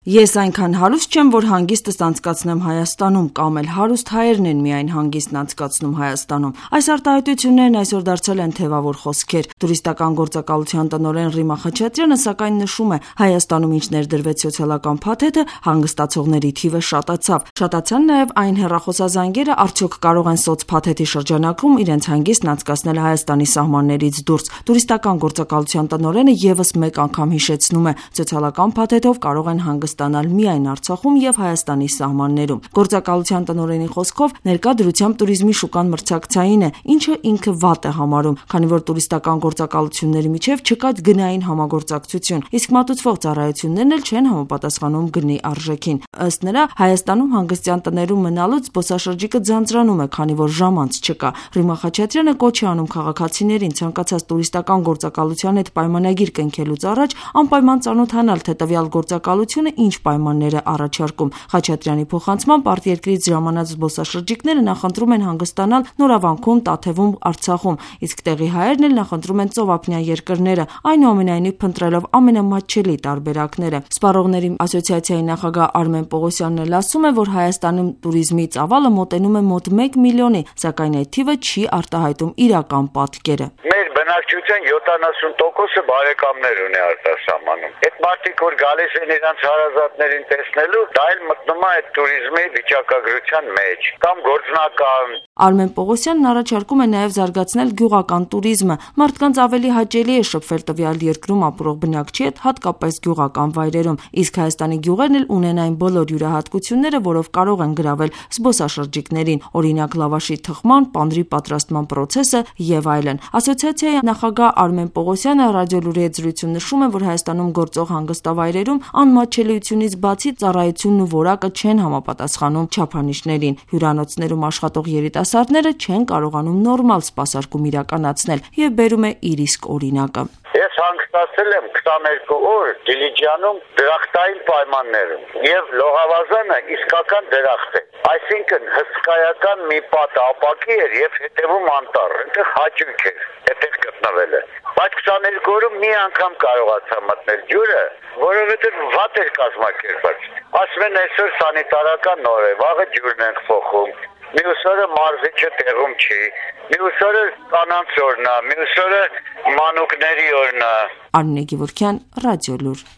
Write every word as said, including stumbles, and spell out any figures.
Ես այնքան հարուստ չեմ, որ հանգիստս անցկացնեմ Հայաստանում, կամ էլ հարուստ հայերն են միայն հանգիստն անցկացնում Հայաստանում։ Այս արտահայտություններն այսօր դարձել են թևավոր խոսքեր։ Տուրիստական գործակալության տնօրեն Ռիմա Խաչատրյանը սակայն նշում է, Հայաստանում ինչ ներդրվեց սոցիալական փաթեթը, հանգստացողների թիվը շատացավ։ Շատացան նաև այն հեռախոսազանգերը, արդյոք կարող են սոցփաթեթի շրջանակում իրենց հանգիստն անցկացնել Հայաստանի սահմաններից դուրս։ Տուրիստական գործակալության տնօրենը ևս մեկ անգամ հիշեցնում է, սոցիալական փաթեթով կարող են հանգստանալ միայն Արցախում եւ Հայաստանի սահմաններում։ Գործակալության տնօրենի խոսքով ներկա դրությամբ туриզմի շուկան մրցակցային է, ինչը ինքը վատ է համարում, քանի որ տուրիստական գործակալությունների միջև չկա գնային համագործակցություն, իսկ մատուցվող ծառայություններն էլ չեն համապատասխանում գնի արժեքին։ Ըստ նրա, Հայաստանում հանգստյան տներում մնալուց զբոսաշրջիկը ձանձրանում է, քանի որ ժամանց չկա։ Ռիմա Խաչատրյանը կոչ է անում քաղաքացիներին ցանկացած տուրիստական գործակալության հետ պայմանագիր կնքելուց առաջ անպայման ծանոթանալ, թե տվյալ գործակալությունը ինչ պայմաններ է առաջարկում։ Խաչատրյանի փոխանցմամբ արտերկրից ժամանած զբոսաշրջիկները նախընտրում են հանգստանալ Նորավանքում, Տաթևում, Արցախում, իսկ տեղի հայերն էլ նախընտրում են ծովափնյա երկրները, այնուամենայնիվ փնտրելով ամենամատչելի տարբերակները։ Սպառողների ասոցիացիայի նախագահ Արմեն Պողոսյանն էլ ասում է, որ Հայաստանում туриզմի ծավալը մոտենում է մոտ մեկ միլիոնի, սակայն այդ թիվը չի արտահայտում իրական պատկերը։ Բնակչության յոթանասուն տոկոսը բարեկամներ ունի արտասահմանում։ Այդ մարդիկ, որ գալիս են իրանց հարազատներին տեսնելու, դա էլ մտնում է այդ туриզմի վիճակագրության մեջ կամ գործնական։ Արմեն Պողոսյանն առաջարկում է նաև զարգացնել գյուղական туриզմը։ Մարդկանց ավելի հաճելի է շփվել տվյալ երկրում ապրող բնակչի հետ, հատկապես գյուղական վայրերում, իսկ Հայաստանի գյուղերն էլ ունեն այն բոլոր յուրահատկությունները, որով կարող են գրավել զբոսաշրջիկներին, օրինակ լավաշի թխման, պանրի պատրաստման պրոցեսը եւ այլն։ Ասոցիացիայի նախագահ Արմեն Պողոսյանը ռադիոլուրի հետ զրույցում նշում է, որ Հայաստանում գործող հանգստավայրերում անմատչելիությունից բացի ծառայությունն ու որակը չեն համապատասխանում չափանիշներին։ Հյուրանոցներում աշխատող երիտասարդները չեն կարողանում նորմալ սպասարկում իրականացնել եւ բերում է իր իսկ օրինակը։ Ես հանգստացել եմ քսաներկու օր Դիլիջանում դրախտային պայմաններում եւ լողավազանը իսկական դրախտ է, այսինքն հսկայական մի պատ ապակի էր եւ հետեւում անտառ, այնտեղ հաճույք էր այդտեղ գտնվելը, բայց քսաներկու օրում մի անգամ կարողացա մտնել ջուրը, որովհետեւ վատ էր կազմակերպած։ Ասում են այսօր սանիտարական օր է, վաղը ջուրն են փոխում, մյուս օրը մարզիչը տեղում չի, մյուս օրը կանանց օրն է, մյուս օրը մանուկների օրն է։ Արմինե Գևորգյան, Ռադիոլուր։